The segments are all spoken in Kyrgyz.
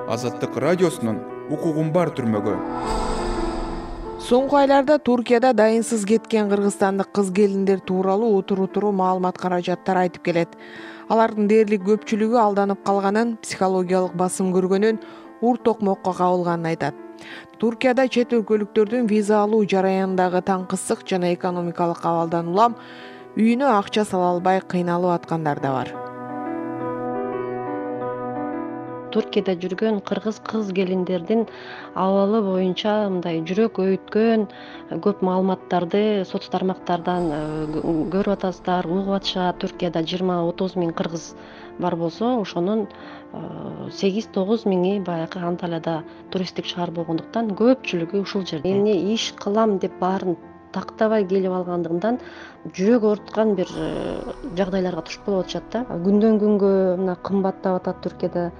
Азаттык радиосунун укугум бар түрмөгү. Соңку айларда Туркияда дайынсыз кеткен кыргызстандык кыз келиндер тууралуу утуру маалымат каражаттар айтып келет. Алардын дээрлик көпчүлүгү алданып калганын, психологиялык басым көргөнүн, ур токмокко кабылганын айтат. Туркияда чет өлкөлүктөрдүн виза алуу жараянындагы таңкысык жана экономикалык абалдан улам үйүнө акча сала албай кыйналып аткандар да бар. Туркияда жүргөн кыргыз кыз келиндердин абалы боюнча мындай жүрөк өйүткөн көп маалыматтарды соц тармактардан көрүп атасыздар, угуп атышат. Туркияда 20-30 миң кыргыз бар болсо, ошонун 8-9 миңи баягы Анталияда туристтик шаар болгондуктан көпчүлүгү ушул жерде. Эмне иш кылам деп баарын тактабай келип алгандыгынан жүрөк ооруткан бир жагдайларга туш болуп атышат да. Күндөн күнгө мына кымбаттап атат Туркияда.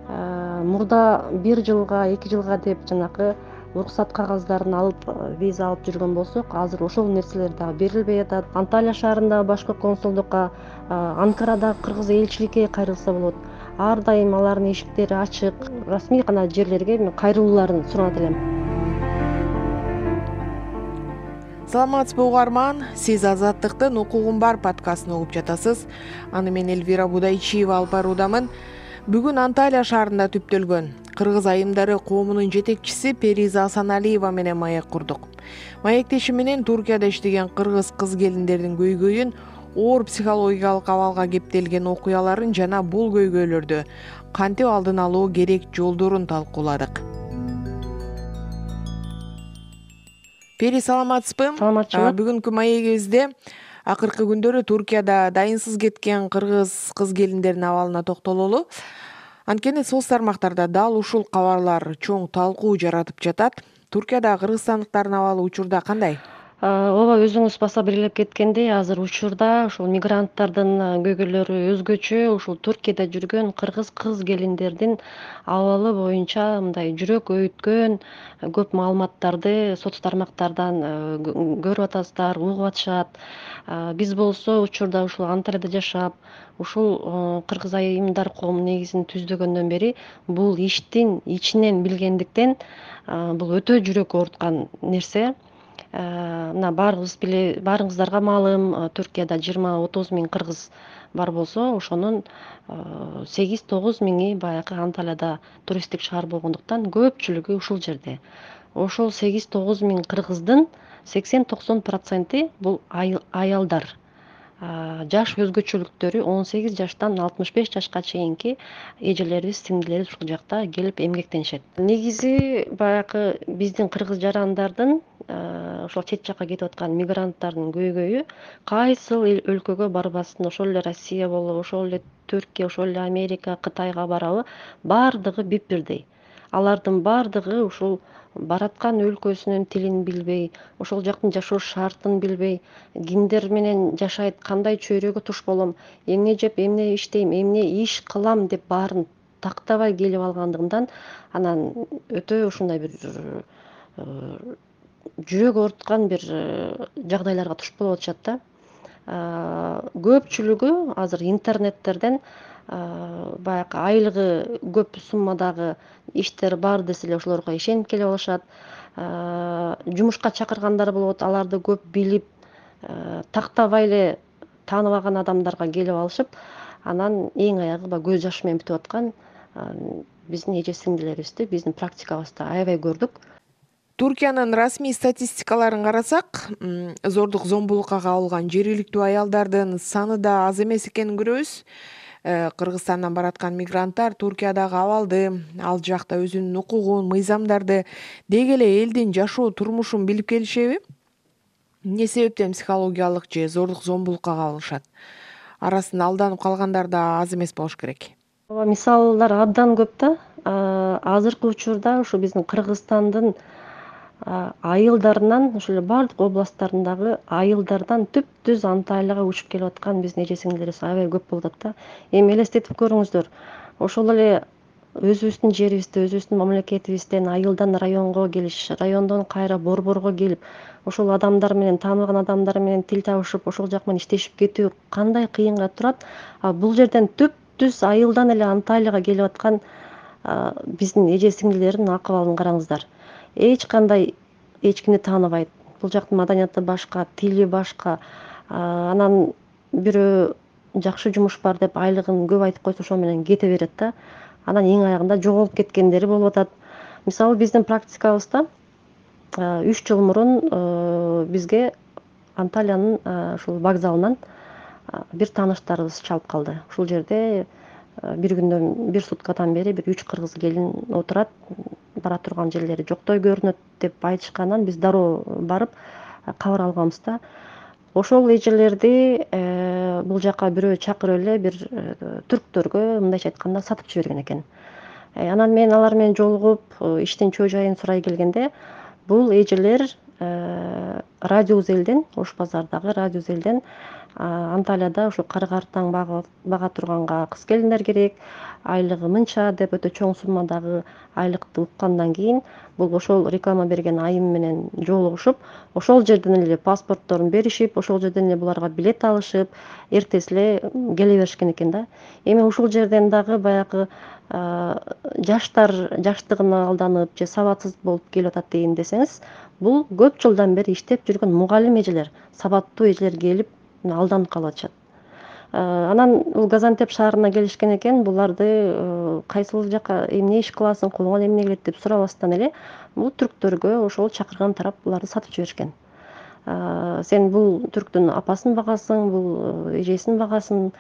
Мурда 1 жылга 2 жылга деп жанагы уруксат кагаздарын алып виза алып жүргөн болсок, азыр ошол нерселер дагы берилбей атат. Анталия шаарындагы башкы консулдукка, Анкарадагы кыргыз элчиликке кайрылса болот. Ар дайым алардын эшиктери ачык. Расмий гана жерлерге мен кайрылууларын суранат элем. Саламатсызбы угарман, сиз Азаттыктын укугум бар подкастын угуп жатасыз. Аны мен Эльвира Будайчиева алып баруудамын. Бүгүн Анталия шаарында түптөлгөн кыргыз айымдары коомунун жетекчиси Периза Асаналиева менен маек курдук. Маектеши менен Туркияда иштеген кыргыз кыз келиндердин көйгөйүн, оор психологиялык абалга кептелген окуяларын жана бул көйгөйлөрдү кантип алдын алуу керек жолдорун талкууладык. Пери, саламатсызбы? Саламатчылык. Бүгүнкү маегибизде акыркы күндөрү Туркияда дайынсыз кеткен кыргыз кыз келиндердин абалына токтололу. Анткени соц тармактарда дал ушул кабарлар чоң талкуу жаратып жатат. Туркияда кыргызстандыктардын абалы учурда кандай? Ооба, өзүңүз баса белгилеп кеткендей, азыр учурда ушул мигранттардын көйгөйлөрү өзгөчө. Ушул Туркияда жүргөн кыргыз кыз келиндердин абалы боюнча мындай жүрөк өйүткөн көп маалыматтарды соц тармактардан көрүп атасыздар, угуп атышат. Биз болсо учурда ушул Анталияда жашап, ушул кыргыз айымдар коомун негизин түздөгөндөн бери бул иштин ичинен билгендиктен бул өтө жүрөк ооруткан нерсе. Мына баарыңыздарга маалым, Туркияда 20-30 миң кыргыз бар болсо, ошонун 8-9 миңи баягы Анталияда туристтик шаар болгондуктан көпчүлүгү ушул жерде. Ошол 8-9 миң кыргыздын 80-90% бул аялдар. Жаш өзгөчөлүктөрү 18 жаштан 65 жашка чейинки эжелерибиз, сиңдилерибиз ушул жакта келип эмгектенишет. Негизи баягы биздин кыргыз жарандардын ошол чет жакка кетип аткан мигранттардын көйгөйү кайсыл өлкөгө барбасын, ошол эле Россия болобу, ошол эле Түркия, ошол эле Америка, Кытайга барабы, баардыгы бирдей. Алардын баардыгы ушул бараткан өлкөсүнүн тилин билбей, ошол жактын жашоо шартын билбей, кимдер менен жашайт, кандай чөйрөгө туш болом, эмне жеп, эмне иштейм, эмне иш кылам деп баарын тактабай келип алгандыгынан анан өтө ушундай бир жүрөк ооруткан бир жагдайларга туш болуп атышат да. Көпчүлүгү азыр интернеттерден баягы айлыгы көп суммадагы иштер бар десе эле ошолорго ишенип келип алышат. Жумушка чакыргандар болот, аларды көп билип, тактабай эле тааныбаган адамдарга келип алышып, анан эң аягы көз жаш менен бүтүп аткан биздин эже сиңдилерибизди биздин практикабызда аябай көрдүк. Туркиянын расмий статистикаларын карасак, зордук зомбулукка кабылган жергиликтүү аялдардын саны да аз эмес экенин көрөбүз. Кыргызстандан бараткан мигранттар Туркиядагы абалды, ал жакта өзүнүн укугун, мыйзамдарды, деги эле элдин жашоо турмушун билип келишеби? Эмне себептен психологиялык же зордук зомбулукка кабылышат? Арасында алданып калгандар да аз эмес болуш керек. Ооба, мисалдар абдан көп да. Азыркы учурда ушу биздин Кыргызстандын айылдарынан, ошол эле бардык областтарындагы айылдардан түп-түз Анталияга учуп келип аткан биздин эже сиңдилерибиз аябай көп болуп атат да. Эми элестетип көрүңүздөр. Ошол эле өзүбүздүн жерибизде, өзүбүздүн мамлекетибизден айылдан районго келиш, райондон кайра борборго келип, ошол адамдар менен, тааныбаган адамдар менен тил табышып, ошол жак менен иштешип кетүү кандай кыйынга турат. Бул жерден түп-түз айылдан эле Анталияга келип аткан биздин эже сиңдилердин акыбалын караңыздар. Эч кандай эчкини тааныбайт. Бул жактын маданияты башка, тили башка. Анан бирөө жакшы жумуш бар деп айлыгын көп айтып койсо ошол менен кете берет да. Анан эң аягында жоголуп кеткендери болуп атат. Мисалы биздин практикабызда 3 жыл мурун бизге Анталиянын ушул вокзалынан бир тааныштарыбыз чалып калды. Ушул жерде бир күндөн, бир суткадан бери бир 3 кыргыз келин отурат, бара турган жерлери жоктой көрүнөт деп айтышкандан биз дароо барып кабар алганбыз да. Ошол эжелерди бул жака бирөө чакырып эле бир түрктөргө мындайча айтканда сатып жиберген экен. Анан мен алар менен жолугуп иштин чоо жайын сурай келгенде бул эжелер Радиус элден, Ош базардагы Радиус элден Анталияда ушу кары картаң бага турганга кыз келиндер керек, айлыгы мынча деп өтө чоң суммадагы айлыкты уккандан кийин бул ошол реклама берген айым менен жолугушуп, ошол жерден эле паспортторун беришип, ошол жерден эле буларга билет алышып, эртеси эле келе беришкен экен да. Эми ушул жерден дагы баягы жаштар жаштыгына алданып же сабатсыз болуп келип атат дейин десеңиз, бул көп жылдан бери иштеп жүргөн мугалим эжелер, сабаттуу эжелер келип алданып калып атышат. Анан бул Газантеп шаарына келишкен экен, буларды кайсыл жака эмне иш кыласың, колуңан эмне келет деп сурабастан эле бул түрктөргө ошол чакырган тарап буларды сатып жиберишкен. Сен бул түрктүн апасын багасың, бул эжесин багасың,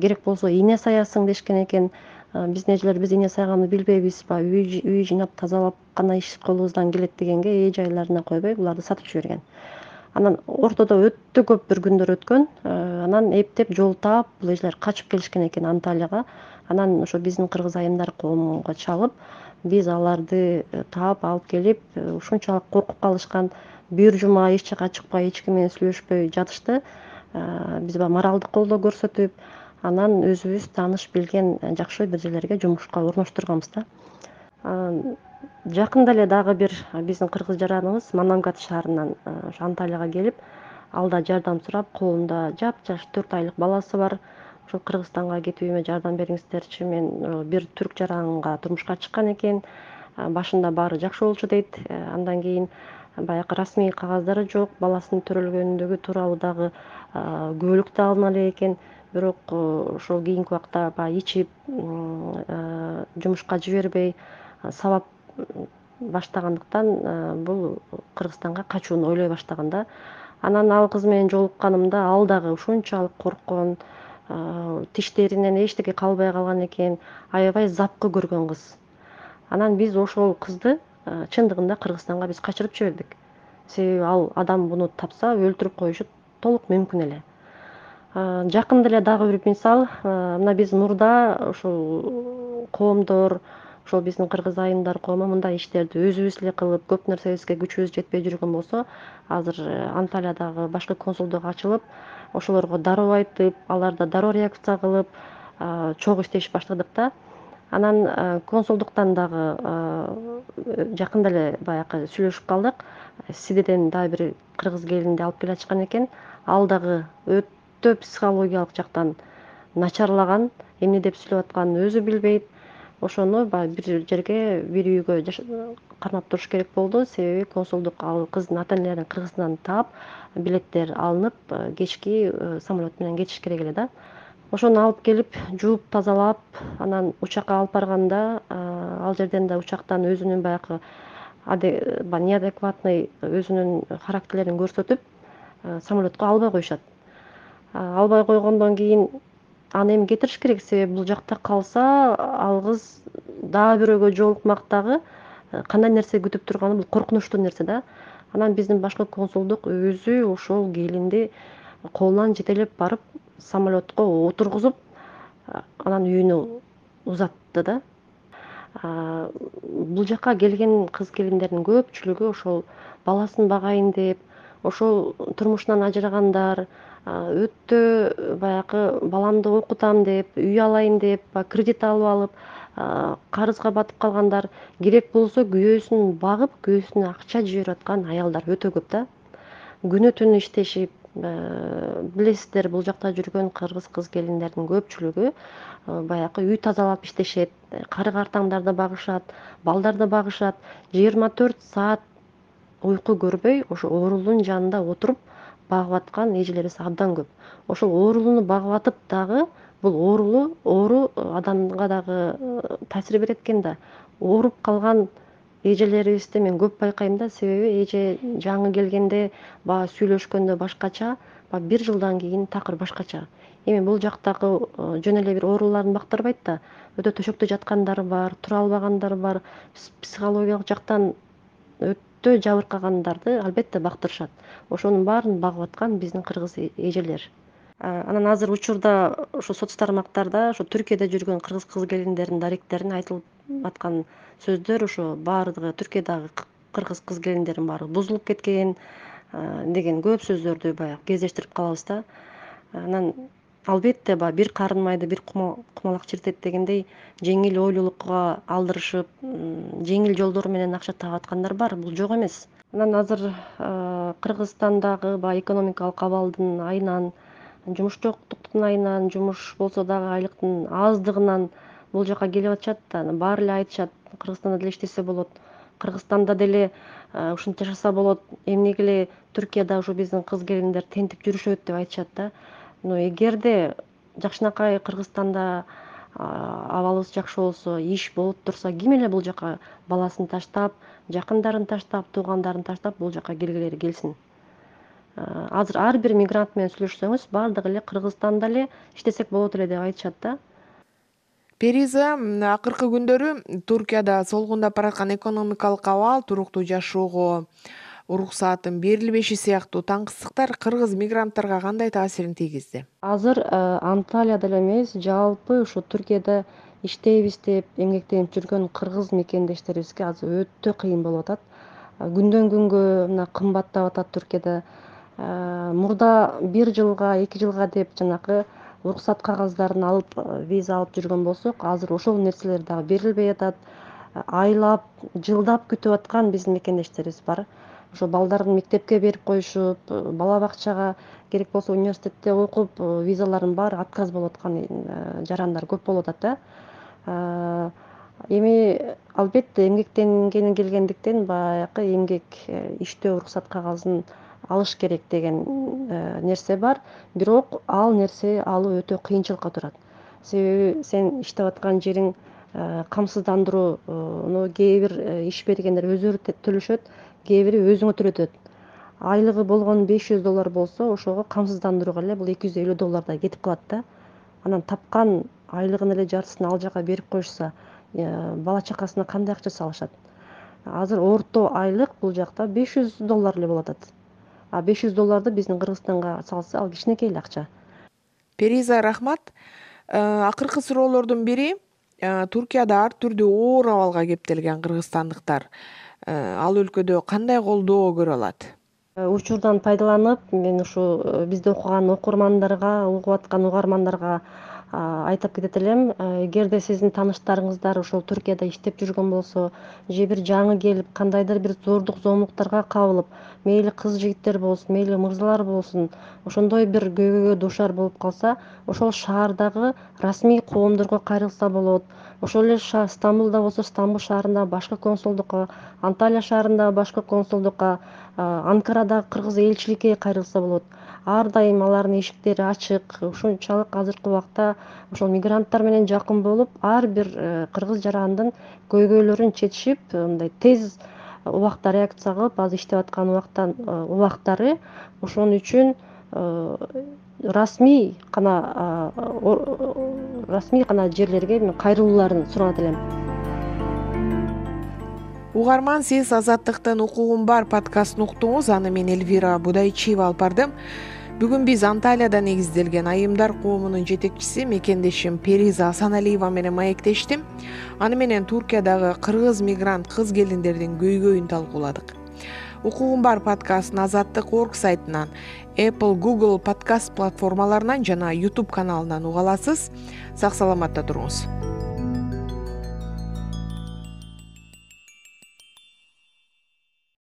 керек болсо ийне саясың дешкен экен. Биздин эжелер биз ийне сайганды билбейбизби, үй жыйнап тазалап гана иш колубуздан келет дегенге эже айларына койбой буларды сатып жиберген. Анан ортодо өтө көп бир күндөр өткөн. Анан эптеп жол таап бул эжелер качып келишкен экен Анталияга. Анан ошо биздин кыргыз айымдар коомунга чалып, биз аларды таап алып келип, ушунчалык коркуп калышкан, бир жума эч жака чыкпай, эч ким менен сүйлөшпөй жатышты. Биз баягы моралдык колдоо көрсөтүп, анан өзүбүз тааныш билген жакшы бир жерлерге жумушка орноштурганбыз да. Жакында эле дагы бир биздин кыргыз жараныбыз Манамгат шаарынан ошо Анталияга келип, алда жардам сурап, колунда жапжаш 4 айлык баласы бар. Ошо Кыргызстанга кетүүмө жардам бериңиздерчи, мен бир түрк жаранга турмушка чыккан экен. Башында баары жакшы болчу дейт. Андан кийин баягы расмий кагаздары жок, баласынын төрөлгөндүгү тууралуу дагы күбөлүк да алына элек экен. Бирок ошол кийинки убакта баягы ичип, жумушка жибербей, сабап баштагандыктан бул Кыргызстанга качууну ойлой баштаган да. Анан ал кыз менен жолукканымда ал дагы ушунчалык корккон, тиштеринен эчтеке калбай калган экен, аябай запкы көргөн кыз. Анан биз ошол кызды чындыгында Кыргызстанга биз качырып жибердик. Себеби ал адам буну тапса өлтүрүп коюшу толук мүмкүн эле. Жакында эле дагы бир мисал, мына биз мурда ушул коомдор, ошол биздин кыргыз айымдар коому мындай иштерди өзүбүз эле кылып, көп нерсебизге күчүбүз жетпей жүргөн болсо, азыр Анталиядагы башкы консулдук ачылып, ошолорго дароо айтып, аларда дароо реакция кылып, чогуу иштешип баштадык да. Анан консулдуктан дагы жакында эле баягы сүйлөшүп калдык. Сидеден дагы бир кыргыз келинди алып келе жатышкан экен. Ал дагы өтө психологиялык жактан начарлаган, эмне деп сүйлөп атканын өзү билбейт. Ошону баягы бир жерге, бир үйгө кармап туруш керек болду. Себеби консулдук ал кыздын ата энелерин Кыргызстандан таап, билеттер алынып, кечки самолет менен кетиш керек эле да. Ошону алып келип, жууп, тазалап, анан учакка алып барганда, ал жерден да учактан өзүнүн баягы неадекватный өзүнүн характерлерин көрсөтүп, самолетко албай коюшат. Албай койгондон кийин аны эми кетириш керек, себеби бул жакта калса, ал кыз дагы бирөөгө жолукмак дагы кандай нерсе күтүп турганы бул коркунучтуу нерсе да. Анан биздин башкы консулдук өзү ошол келинди колунан жетелеп барып, самолетко отургузуп, анан үйүнө узатты да. Бул жака келген кыз келиндердин көпчүлүгү ошол баласын багайын деп, ошол турмушунан ажырагандар, өтө баягы баламды окутам деп, үй алайын деп, кредит алып, карызга батып калгандар, керек болсо күйөөсүн багып, күйөөсүнө акча жиберип аткан аялдар өтө көп да. Күнү түнү иштешип, билесиздер, бул жакта жүргөн кыргыз кыз келиндердин көпчүлүгү баягы үй тазалап иштешет, кары картаңдарды багышат, балдарды багышат, 24 саат уйку көрбөй ошо оорулуунун жанында отуруп багып аткан эжелерибиз абдан көп. Ошол оорулууну багып атып дагы бул оору адамга дагы таасир берет экен да. Ооруп калган эжелерибизди мен көп байкайм да, себеби эже жаңы келгенде баягы сүйлөшкөндө башкача, баягы 1 жылдан кийин такыр башкача. Эми бул жактагы жөн эле бир ооруларын бактырбайт да. Өтө төшөктө жаткандар бар, тура албагандар бар, психологиялык жактан өтө жабыркагандарды албетте бактырышат. Ошонун баарын багып аткан биздин кыргыз эжелер. Анан азыр учурда ошо соц тармактарда ошо Түркияда жүргөн кыргыз кыз-келиндердин даректерине айтылып аткан сөздөр ошо баардыгы Түркиядагы кыргыз кыз-келиндердин баары бузулуп кеткен деген көп сөздөрдү баягы кездештирип калабыз да. Анан албетте баягы бир карын майды бир кумалак чиртет дегендей жеңил ойлуулукка алдырышып, жеңил жолдор менен акча таап аткандар бар, бул жок эмес. Анан азыр Кыргызстандагы баягы экономикалык абалдын айынан, жумуш жоктуктун айынан, жумуш болсо дагы айлыктын аздыгынан бул жака келип атышат да. Баары эле айтышат, Кыргызстанда деле иштесе болот, Кыргызстанда деле ушинтип жашаса болот, эмнеге эле Түркияда ушу биздин кыз-келиндер тентип жүрүшөт деп айтышат да. Но эгерде жакшынакай Кыргызстанда абалыбыз жакшы болсо, иш болуп турса, ким эле бул жака баласын таштап, жакындарын таштап, туугандарын таштап бул жака келгилери келсин. Азыр ар бир мигрант менен сүйлөшсөңүз, баардыгы эле Кыргызстанда эле иштесек болот эле деп айтышат да. Периза, акыркы күндөрү Туркияда солгундап бараткан экономикалык абал, туруктуу жашоого уруксааттын берилбеши сыяктуу таңкыстыктар кыргыз мигранттарга кандай таасирин тийгизди? Азыр Анталияда эле эмес, жалпы ушу Түркияда иштейбиз деп эмгектенип жүргөн кыргыз мекендештерибизге азыр өтө кыйын болуп атат. Күндөн күнгө мына кымбаттап атат Түркияда. Мурда 1 жылга, 2 жылга деп жанагы уруксат кагаздарын алып, виза алып жүргөн болсок, азыр ошол нерселер дагы берилбей атат. Айлап, жылдап күтүп аткан биздин мекендештерибиз бар. Ошо балдарын мектепке берип коюшуп, бала бакчага, керек болсо университетте окуп, визалардын баары отказ болуп аткан жарандар көп болуп атат да. Эми албетте эмгектенгени келгендиктен баягы эмгек иштөө уруксат кагазын алыш керек деген нерсе бар. Бирок ал нерсе алуу өтө кыйынчылыкка турат. Себеби сен иштеп аткан жериң камсыздандырууну кээ бир иш бергендер өздөрү төлөшөт, кээ бири өзүңө төлөтөт. Айлыгы болгон $500 болсо, ошого камсыздандырууга эле бул $250 кетип калат да. Анан тапкан айлыгынын эле жартысын ал жака берип коюшса, бала чакасына кандай акча салышат? Азыр орто айлык бул жакта $500 эле болуп атат. $500 биздин Кыргызстанга салса, ал кичинекей эле акча. Периза, рахмат. Акыркы суроолордун бири, Туркияда ар түрдүү оор абалга кептелген кыргызстандыктар ал өлкөдө кандай колдоо көрө алат? Учурдан пайдаланып, мен ушу бизде окуган окурмандарга, угуп аткан угармандарга айтып кетет элем. Эгерде сиздин тааныштарыңыздар ошол Түркияда иштеп жүргөн болсо, же бир жаңы келип кандайдыр бир зордук зомбуктарга кабылып, мейли кыз жигиттер болсун, мейли мырзалар болсун, ошондой бир көйгөйгө дуушар болуп калса, ошол шаардагы расмий коомдорго кайрылса болот. Ошол эле Стамбулда болсо, Стамбул шаарындагы башкы консулдукка, Анталия шаарындагы башкы консулдукка, Анкарадагы кыргыз элчиликке кайрылса болот. Ар дайым алардын эшиктери ачык. Ушунчалык азыркы убакта ошол мигранттар менен жакын болуп, ар бир кыргыз жарандын көйгөйлөрүн чечишип, мындай тез убакта реакция кылып, азыр иштеп аткан убактары ошон үчүн расмий гана жерлерге мен кайрылууларын суранат элем. Угарман, сиз Азаттыктын укугум бар подкастын уктуңуз. Аны мен Эльвира Будайчиева алып бардым. Бүгүн биз Анталияда негизделген айымдар коомунун жетекчиси мекендешим Периза Асаналиева менен маектештим. Аны менен Туркиядагы кыргыз мигрант кыз-келиндердин көйгөйүн талкууладык. Укугум бар подкастын Азаттык.org сайтынан, Apple, Google подкаст платформаларынан жана YouTube каналынан уга аласыз. Сак саламатта туруңуз.